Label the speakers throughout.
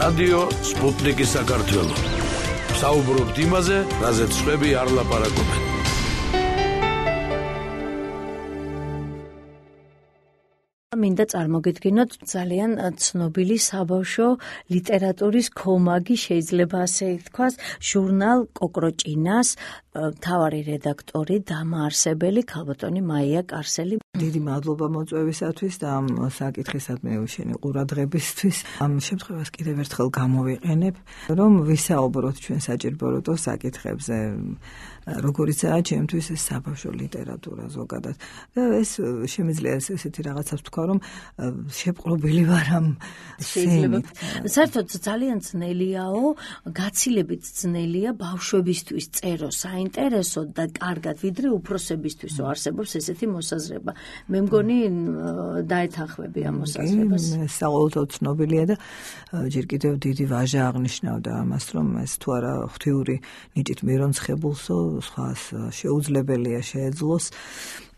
Speaker 1: რადიო სპუტნიკი საქართველო. საუბრობთ იმაზე, რაზეც სხვები არ ლაპარაკობენ.
Speaker 2: მინდა წარმოგიდგინოთ ძალიან ცნობილი საბავშვო ლიტერატურის ქომაგი, შეიძლება ასე ითქვას, ჟურნალ კოკროჭინას მთავარი რედაქტორი, დამაარსებელი ქალბატონი მაია კარსელი.
Speaker 3: დიდი მადლობა მოწვევისათვის და ამ საკითხისადმი შენი ყურადღებისთვის. ამ შემთხვევას კიდევ ერთხელ გამოვიყენებ, რომ ვისაუბროთ ჩვენ საჭიროებო საკითხებზე, როგორიცაა ჩემთვის ეს საბავშვო ლიტერატურა ზოგადად. და ეს შემიძლია ესეთი რაღაცას ვთქვა, რომ შეპყრობილი ვარ ამ
Speaker 2: შეიძლება. საერთოდ ძალიან ძნელიაო, გაცილებით ძნელია ბავშვებისთვის წერო საინტერესო და კარგად, ვიდრე უფროსებისთვისო არსებობს ესეთი მოსაზრება. მე მგონი დაეთანხმები ამ მოსაზრებას.
Speaker 3: საყოველთაოდ ცნობილია და ჯერ კიდევ დიდი ვაჟა აღნიშნავდა ამას, რომ ეს თუ არა ღვთიური ნიჭით მირონცხებულსო, სხვას შეუძლებელია შეეძლოს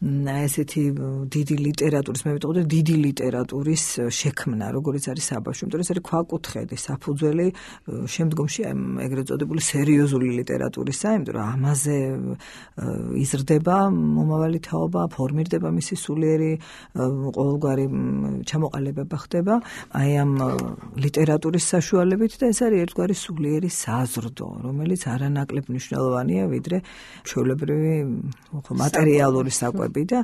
Speaker 3: ესეთი დიდი ლიტერატურის, მე ვიტყოდი დიდი ლიტერატურის შექმნა, როგორც არის საბავშვო, იმიტომ რომ ეს არის ქვაკუთხედი, საფუძველი შემდგომში ეგრეთ წოდებული სერიოზული ლიტერატურისა, იმიტომ რომ ამაზე იზრდება მომავალი თაობა, ფორმირდება მისი სულიერი ყოველგვარი ჩამოყალიბება ხდება აი ამ ლიტერატურის საშუალებით და ეს არის ერთგვარი სულიერი საზრდო, რომელიც არანაკლებ მნიშვნელოვანია, ვიდრე ჩვეულებრივი მატერიალური საკვები. და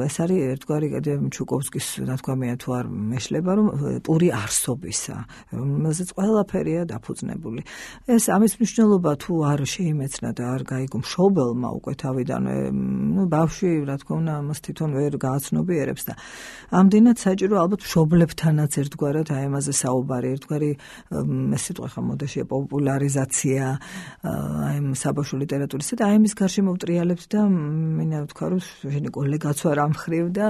Speaker 3: ეს არის ერთგვარი ჩუკოვსკის ნათქვამია თუ არ მეშლება, რომ პური არსობისა, რომელზეც ყველაფერია დაფუძნებული. ეს ამის მნიშვნელობა თუ არ შეიმეცნა და არ გაიგო მშობელმა უკვე თავიდანვე, ბავშვი, რა თქმა უნდა, ამას თვითონ ვერ გააცნობიერებს და ამდენად საჭირო ალბათ მშობლებთანაც ერთგვარად აი ამაზე საუბარი, ერთგვარი ეს სიტყვა ხა მოდაშია პოპულარიზაცია აი საბავშვო ლიტერატურისა და აი ამის გარშემო ვტრიალებთ და მინდა ვთქვა, რომ კოლეგაც ვარ ამ მხრივ და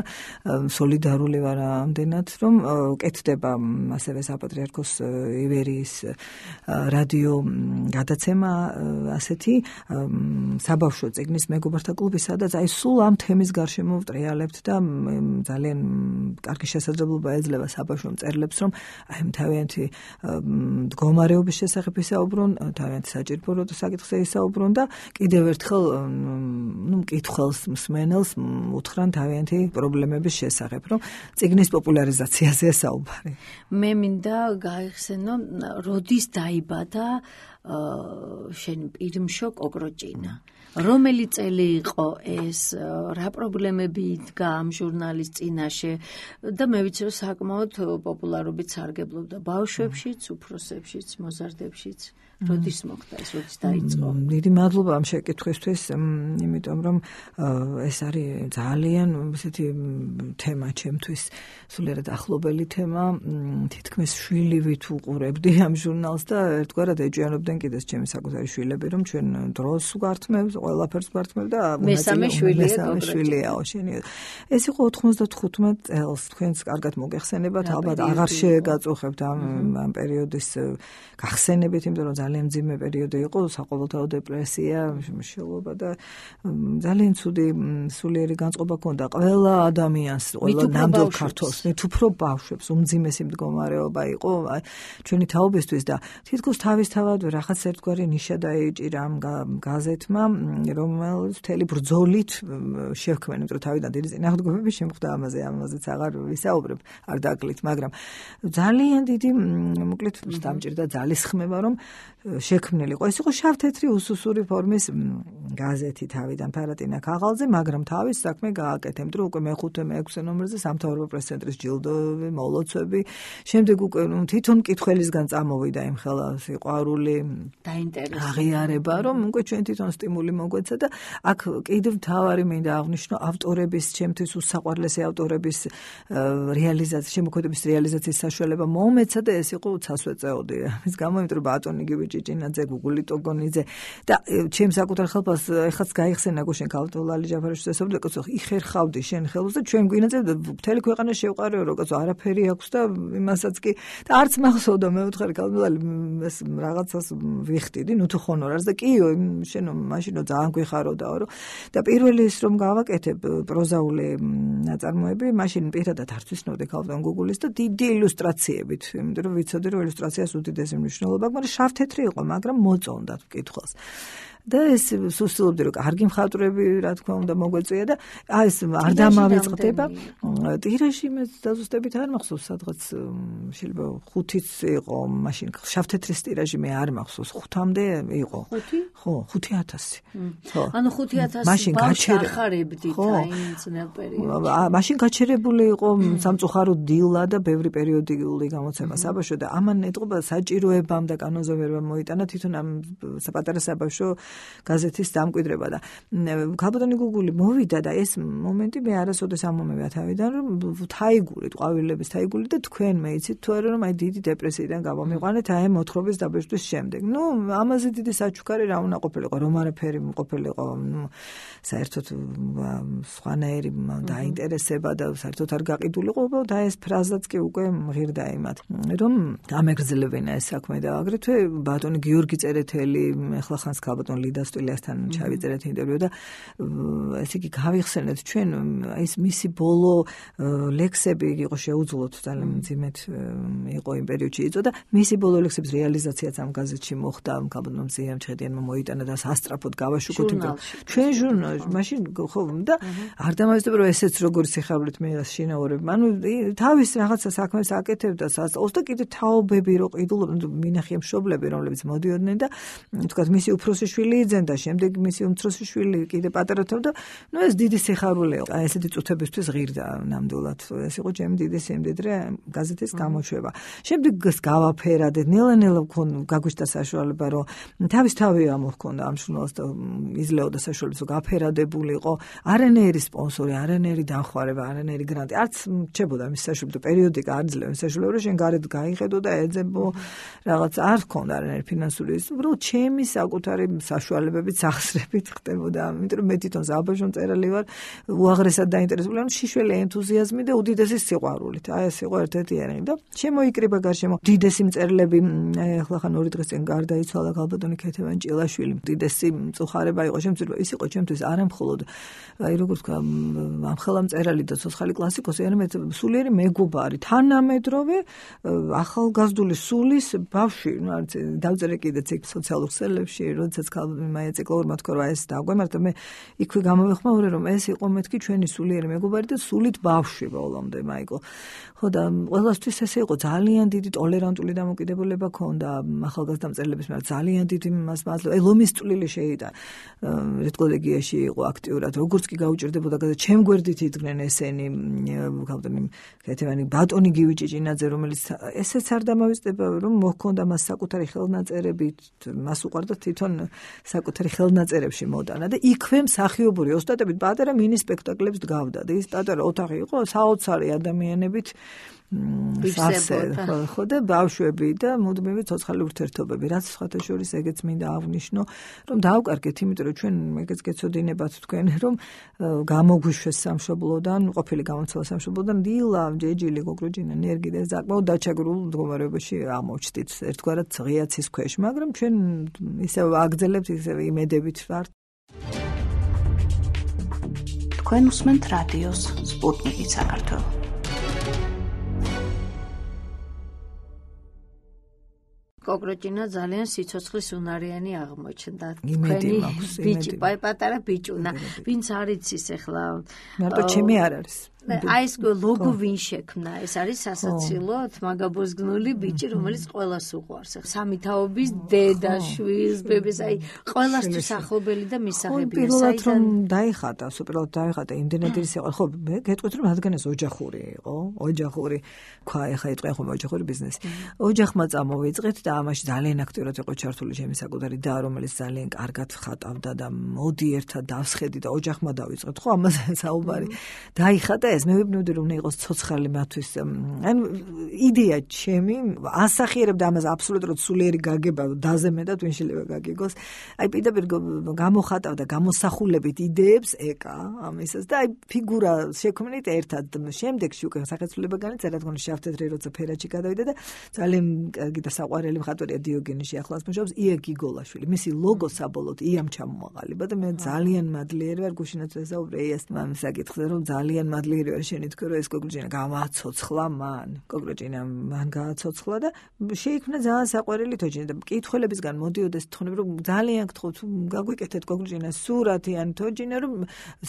Speaker 3: სოლიდარული ვარ ამდენად, რომ კეთდება ასევე საპატრიარქოს ივერიის რადიო გადაცემა ასეთი საბავშვო წიგნის მეგობართა კლუბი, სადაც აი სულ ამ თემის გარშემო ვტრიალებთ და ძალიან კარგი შესაძლებლობა ეძლევა საბავშვო მწერლებს, რომ აი თავიანთი მდგომარეობის შესახებ ისაუბრონ, თავიანთი საჭიროებო საკითხზე ისაუბრონ და კიდევ ერთხელ მკითხველს, მსმენელს უთხრან თავიანთი პრობლემების შესახებ, რომ წიგნის პოპულარიზაციაზე საუბარი.
Speaker 2: მე მინდა გაიხსენო, როდის დაიბადა შენ პირმშო კოკროჭინა. რომელი წელი იყო ეს, რა პრობლემები იდგა ამ ჟურნალის წინაშე და მე ვიცი, რომ საკმაოდ პოპულარობით სარგებლობდა ბავშვებშიც, უფროსებშიც, მოზარდებშიც. როდის მოხდა ეს, როდის დაიწყო?
Speaker 3: დიდი მადლობა ამ შეკითხვისთვის, იმიტომ რომ ეს არის ძალიან ესეთი თემა ჩემთვის, სულიერად ახლობელი თემა, თითქმის შვილივით უყურებდი ამ ჟურნალს და ერთგვარად ეჭვიანობდნენ კიდეც ჩემი საკუთარი შვილები, რომ ჩვენ დროს გვართმევს, ყველაფერს გვართმევს და
Speaker 2: მესამე
Speaker 3: შვილია შენი. ეს იყო 95 წელს, თქვენს კარგად მოგეხსენებათ, ალბათ აღარ შეგაწუხებთ ამ პერიოდის გახსენებით, იმიტომ რომ ძალიან მძიმე პერიოდი იყო, საყოველთაო დეპრესია, მშელობა და ძალიან ცუდი სულიერი განწყობა ჰქონდა ყველა ადამიანს, ყველა ნამდვილ ქართველს, მით უფრო ბავშვებს, უმძიმესი მდგომარეობა იყო ჩვენი თაობისთვის და თითქოს თავისთავად რაღაც ერთგვარი ნიშა დაეჭირა ამ გაზეთმა, რომელიც მთელი ბრძოლით შევქმნა, იმიტომ რომ თავიდან დიდი წინააღმდეგობები შემხვდა ამაზეც აღარ ვისაუბრებ, არ დაკლით, მაგრამ ძალიან დიდი, მოკლედ დამჭირდა ძალისხმევა, რომ შექმნილიყო. ეს იყო შავ-თეთრი უსუსური ფორმის გაზეთი თავიდან ფარატინა ქაღალდზე, მაგრამ თავის საქმე გააკეთა, იმიტომ რომ უკვე მე-5, მე-6 ნომერზე სამთავრობო პრესცენტრის ჯილდოები, მოლოცვები, შემდეგ უკვე თვითონ მკითხველისგან წამოვიდა იმ ხელა სიყვარული,
Speaker 2: დაინტერესება,
Speaker 3: აღიარება, რომ უკვე ჩვენ თვითონ სტიმული მოგვეცა და აქ კიდევ მთავარი მინდა აღვნიშნო ავტორების, ჩემთვის უსაყვარლესი ავტორების რეალიზაცია, შემოქმედების რეალიზაციის საშუალება მომეცა და ეს იყო უცასვე წეოდი. ამის გამო, იმიტომ რომ ბატონი გივი გიუჭიჭინაძე, გუგული ტოგონიძე და ჩემს საკუთარ ხელფას ეხაც გაიხსენა გუშინ ქალთოლალი ჯაფარიშვილის ესწავლა კაცო იხერხავდი შენ ხელს და ჩვენ გვინაწევდა მთელი ქვეყანა შევყარეო რომ კაცო არაფერი აქვს და იმასაც კი და არც მახსოვდა მეუთხარი ქალთოლალი ეს რაღაცას ვიხდიდი ნუ თუ ხონორარს და კიო შენო მაშინო ძალიან გვიხაროდაო რომ და პირველი ის რომ გავაკეთებ პროზაული ნაწარმოები მაშინ პირადად არ ვცნობდი ქალთოლ გუგულის და დიდი ილუსტრაციებით იმიტომ რომ ვიცოდი რომ ილუსტრაციას უდიდესი მნიშვნელობა აქვს მაგრამ შავ-თეთრი იყო მაგრამ მოწონდათ მკითხველს და ეს სუსტლობდი რომ კარგი მხატვრები რა თქმა უნდა მოგვეწია და ეს არ დამავიწყდება ტირაჟი მე დაზუსტებით არ მახსოვს სადღაც შეიძლება 5-იც იყო მაშინ შავ-თეთრის ტირაჟი მე არ მახსოვს 5-მდე იყო 5? ხო 5000
Speaker 2: ხო ანუ 5000 ბავშვს ახარებდით აი ძნელ პერიოდში
Speaker 3: მაშინ გაჩერებული იყო სამწუხარო დილა და ბევრი პერიოდული გამოცემა საბავშვო და ამან ეტყობა საჭიროებამ და კანონზომიერებამ მოიტანა თვითონ ამ პატარა საბავშვო გაზეთის დამკვიდრება და ქალბატონი გუგული მოვიდა და ეს მომენტი მე არასოდეს ამომევა თავიდან რომ თაიგურით ყვავილების თაიგული და თქვენ მეიცით თუ არა რომ აი დიდი დეპრესიიდან გამომიყვანეთ აი მოთხრობის დაბეჭდვის შემდეგ ნუ ამაზე დიდი საჩუქარი რა უნდა ყოფილიყო რომ არაფერი ყოფილიყო ნუ საერთოდ სხვანაირი დაინტერესება და საერთოდ არ გაყიდულიყო და ეს ფრაზაც კი უკვე მღირდა იმათ რომ გამეგრძელებინა ეს საქმე და აგრეთვე ბატონი გიორგი წერეთელი ახლა ხანს ქალბატონ ლიდასტვილიასთან ჩავიწერეთ ინტერვიუ და ესე იგი გავიხსენეთ ჩვენ ის მისი ბოლო ლექსები იყო შეუძლოთ ძალიან მძიმედ იყო იმ პერიოდში იწოდა მისი ბოლო ლექსების რეალიზაციაც ამ გაზეთში მოხდა ქალბატონ მზიამჩხედიანმა მოიტანა და სასტრაფოდ გავაშუქოთ იმიტომ ჩვენ ჟურნალში მაშინ ხო და არ დამავიწყდა რომ ესეც როგორი სიხარულით მე შინაურებ ანუ თავის რაღაცა საქმეს აკეთებდა სასწაულს და კიდე თაობები რო ყიდულობდნენ მინახია მშობლები რომლებიც მოდიოდნენ და თქვა მისი უფროსი შვილი იძენდა შემდეგ მისი უმცროსი შვილი კიდე პატარათავ და ნუ ეს დიდი სიხარულეა აი ესეთი წუთებისთვის ღირდა ნამდვილად ეს იყო ჩემი დიდი სიმდიდრე გაზეთის გამოშვება შემდეგ გავაფერადეთ ნელა-ნელა გაგვიშთა საშუალება რომ თავი ამოჰქონდა ამ ჟურნალს და იძლეოდა საშუალებას რომ გაფერადებულიყო არანაირი სპონსორი არანაირი დამხმარება არანაირი გრანტი არც რჩებოდა მის საშუალებას პერიოდიკა არ ძლევს საშუალება რომ შენ გარეთ გაიხედო და ეძებო რაღაც არ ჰქონდა არანაირი ფინანსური უბრალოდ ჩემი საკუთარი საშუალებებით სახსრებით ხდებოდა იმიტომ რომ მე თვითონ საბავშვო მწერალი ვარ უაღრესად დაინტერესებული ანუ შიშველი ენთუზიაზმი და უდიდესი სიყვარულით აი ეს იყო ერთ-ერთი ერინგი და შემოიკრიბა გარშემო დიდესი მწერლები ახლა ხან 2 დღეს წინ გარდაიცვალა ქალბატონი ქეთევან ჭილაშვილი დიდესი მწუხარება იყო შემცირება ის იყო ჩემთვის არა მხოლოდ აი როგორ ვთქვა ამხელა მწერალი და ცოცხალი კლასიკოსი არამედ სულიერი მეგობარი თანამედროვე ახალგაზრდული სულის ბავშვი ნუ არც დავწერე კიდეც იქ სოციალურ ქსელებში როდესაც მაია ციკლურმა თქვა რომ ეს დაგვემართა მე იქვე გამოვეხმაურე რომ ეს იყო მეთქი ჩვენი სულიერი მეგობარი და სულით ბავშვი ბოლომდე მაიკო ხო და ყველასთვის ესე იყო ძალიან დიდი ტოლერანტული დამოკიდებულება ქონდა ახალგაზრდა მწერლების მაგრამ ძალიან დიდი მას მადლობა ლომის წვლილი შეიტა რედკოლეგიაში იყო აქტიურად როგორც კი გაუჭირდებოდა და ჩემ გვერდით იდგნენ ესენი ქალბატონი ქეთევანი ბატონი გიუჭიჭინაძე რომელიც ესეც არ დამავიწყდება რომ მოჰქონდა მას საკუთარი ხელნაწერებით მას უყვარდა თვითონ საკუთარი ხელნაწერებში მოდანა და იქვე მსახიობური ოსტატებით პატარა მინი სპექტაკლებს დგავდა და ის პატარა ოთახი იყო საოცარი ადამიანებით ხო და ბავშვები და მუდმივი ცოცხალი ურთიერთობები რაც სხვათა შორის ეგეც მინდა აღვნიშნო რომ დავკარგეთ იმიტომ რომ ჩვენ ეგეც გეცოდინებათ თქვენ რომ გამოგვიშვეს სამშობლოდან ყოფილი გამოცვალ სამშობლოდან დილა ჯეჯილი გოგროჯინა ნერგი და საკმაოდ დაჩაგრულ მდგომარეობაში აღმოჩნდით ერთგვარად ღიაცის ქვეშ მაგრამ ჩვენ ისევ აგრძელებთ ისევ იმედებით ვართ
Speaker 4: თქვენ უსმენთ რადიოს სპუტნიკი საქართველო
Speaker 2: კოგროჯინა ძალიან სიცოცხლის უნარიანი აღმოჩნდა. თქვენი ბიჭი, პატარა ბიჭუნა, ვინც არ იცის ახლა.
Speaker 3: მარტო ჩემი არ არის.
Speaker 2: აი ეს ლოგო ვინ შექმნა? ეს არის სასაცილო თმაგაბოზგნული ბიჭი, რომელიც ყველას უყვარს. სამი თაობის დედა, შვილს, ბებეს, აი ყველასთვის ახლობელი და მისაღებია.
Speaker 3: პირველად რომ დაიხატა, უპირველად დაიხატა იმდენად ის იყო. ხო, მე გეტყვით რომ რადგან ეს ოჯახური იყო, ოჯახური, ხა ეხა იტყვიან ხომ ოჯახური ბიზნესი. ოჯახმა წამოვიწყეთ და ამაში ძალიან აქტიურად იყო ჩართული ჩემი საკუთარი და რომელიც ძალიან კარგად ხატავდა და მოდი ერთად დავსხედი და ოჯახმა დავიწყეთ ხო ამაზე საუბარი დაიხატა ეს მე ვიბნევდი რომ იყოს ცოცხალი მათთვის ან იდეა ჩემი ასახიერებდა ამას აბსოლუტურად სულიერი გაგება დაზემედა თუ შეიძლება გაგიგოს აი პირდაპირ გამოხატავდა გამოსახულებით იდეებს ეკა ამისას და აი ფიგურა შექმნით ერთად შემდეგში უკვე სახეცვლილება განიწერა თქო შავ-თეთრი როცა ფერაჩი გადავიდა და ძალიან კარგი და საყვარელი მხატვარია დიოგენეში ახლაც მუშაობს ია გიგოლაშვილი მისი ლოგო საბოლოოდ იამ ჩამოაყალიბა და მე ძალიან მადლიერი ვარ გუშინაც ესაუბრე ეს მან საკითხზე რომ ძალიან მადლიერი ვარ შენი თქო რომ ეს კოკროჭინა გამაცოცხლა მან გააცოცხლა და შეიქმნა ძალიან საყვარელი თოჯინა და მკითხველებისგან მოდიოდეს თქონებ რომ ძალიან გთხოვთ გაგვიკეთეთ კოკროჭინას სურათი ან თოჯინა რომ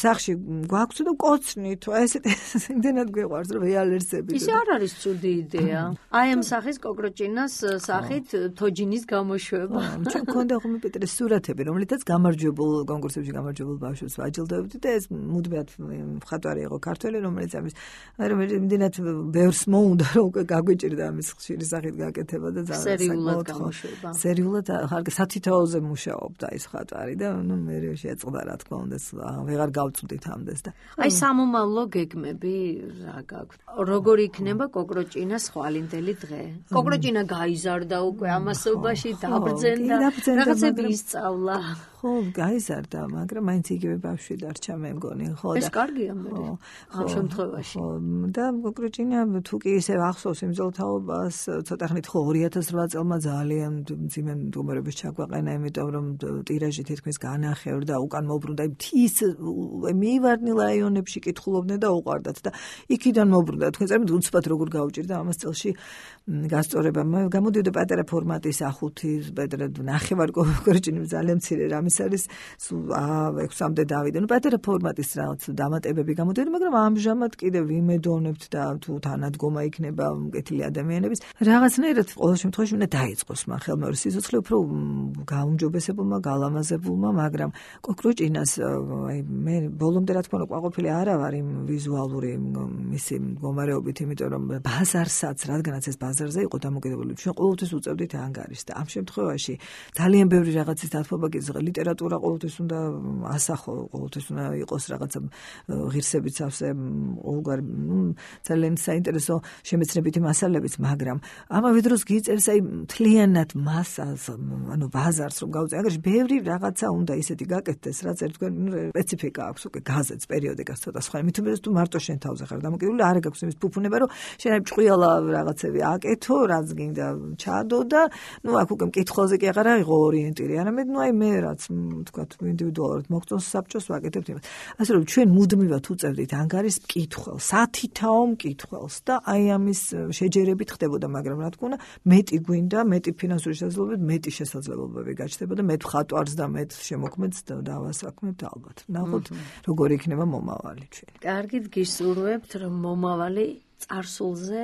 Speaker 3: სახში გვაქვს და კოცნით ესეთ იმდენად გვიყვარს რომ რეალერსები
Speaker 2: ის არ არის ცუდი იდეა აი ამ სახის კოკროჭინას სახით თოჯინის გამოშვება
Speaker 3: ჩვენ გქონდა ხოლმე პეტრე სურათები რომლითაც გამარჯვებულ კონკურსებში გამარჯვებულ ბავშვებს ვაჯილდოებდი და ეს მუდმივად მხატვარი იყო ქართველი რომელიც ამის იმდენად ბევრს მოუნდა რომ უკვე გაგვიჭირდა ამის ხშირი სახით გაკეთება და
Speaker 2: სერიულად გამოშვება
Speaker 3: სერიულად სათითაოზე მუშაობდა ეს მხატვარი და ნუ მე შეწყდა რა თქმა უნდა ვეღარ გავწვდით ამდენს და
Speaker 2: აი სამომავლო გეგმები რა გაქვთ როგორ იქნება კოკროჭინას ხვალინდელი დღე კოკროჭინა გაიზარდა უკვე ამასობაში დაბრძენდა რაღაცები ისწავლა
Speaker 3: ხო გაიზარდა მაგრამ მაინც იგივე ბავშვი დარჩა მე მგონი ხო და
Speaker 2: ეს კარგია მე ამ შემთხვევაში
Speaker 3: და კოკროჭინა თუ კი ისე ახსოვს იმ ზოლთაობას ცოტა ხნით ხო 2008 წელმა ძალიან მძიმე მდგომარეობის ჩაგვაყენა იმიტომ რომ ტირაჟი თითქმის განახევრდა უკან მოbrunდა მთის მივარდნილ რაიონებში კითხულობდნენ და უყარდათ და იქიდან მოbrunდა თქვენ წარმოვიდგინეთ უცბად როგორ გაუჭირდა ამას წელში გასწორება გამოდიოდა პატარა ფორმატის ახუთი პეტრე ნახევარ კოკროჭინი ძალიან მცირე რამის არის 6-მდე დავიდა ნუ პატარა ფორმატის რაღაც დამატებები გამოდიოდა მაგრამ ამჟამად კიდევ ვიმედოვნებთ და თუ თანადგომა იქნება მკეთილი ადამიანების რაღაცნაირად ყოველ შემთხვევაში უნდა დაიწყოს მან ხელმეორე სიცოცხლე უფრო გაუმჯობესებულმა გალამაზებულმა მაგრამ კოკროჭინას აი მე ბოლომდე რა თქმა უნდა ყვაყოფილი არა ვარ იმ ვიზუალური მისი მდგომარეობით იმიტომ რომ ბაზარსაც რადგანაც ეს ბაზარზე იყო დამოკიდებული ჩვენ ყოველთვის უწევდით ანგარიშს და ამ შემთხვევაში ძალიან ბევრი რაღაცის დათმობა გიძლია ლიტერატურა ყოველთვის უნდა ასახო ყოველთვის უნდა იყოს რაღაცა ღირსებით სავსე ყოველგვარი ძალიან საინტერესო შემეცნებითი მასალებიც მაგრამ ამავე დროს გიწერს აი მთლიანად მასას ანუ ბაზარს რომ გავუწე ანგარიში ბევრი რაღაცა უნდა ისეთი გაკეთდეს რაც ერთგვარი სპეციფიკა აქვს უკვე გაზეთს პერიოდიკას ცოტა სხვა მithumდეს თუ მარტო შენ თავზე ხარ დამოკიდებული არ გაქვს იმის ფუფუნება რომ შენ აი ჭყიალა რაღაცები აკეთო რაც გინდა ჩადო და ნუ აქ უკვე მკითხველზე კი აღარ აიღო ორიენტირი არამედ ნუ აი მე რაც თქვათ ინდივიდუალურად მოგწონს საბჭოს ვაკეთებთ იმას ასე რომ ჩვენ მუდმივად უწევდით ანგარიშს მკითხველს სათითაო მკითხველს და აი ამის შეჯერებით ხდებოდა მაგრამ რა თქმა უნდა მეტი გვინდა მეტი ფინანსური შესაძლებლობებით მეტი შესაძლებლობები გაჩნდებოდა მე მხატვარს და მე შემოქმედს დავასაქმებთ ალბათ ნახოთ როგორ იქნება მომავალი ჩვენი
Speaker 2: კარგით გისურვებთ რომ მომავალი წარსულზე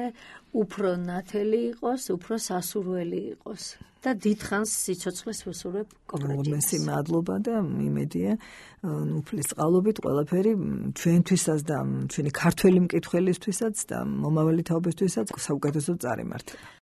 Speaker 2: უფრო ნათელი იყოს, უფრო სასურველი იყოს და დიდხანს სიცოცხლეს ვესურვებ კოკროჭინას.
Speaker 3: მადლობა და იმედია უფლის წყალობით ყველაფერი ჩვენთვისაც და ჩვენი ქართველი მკითხველისთვისაც და მომავალი თაობისთვისაც საუკეთესო წარიმართება.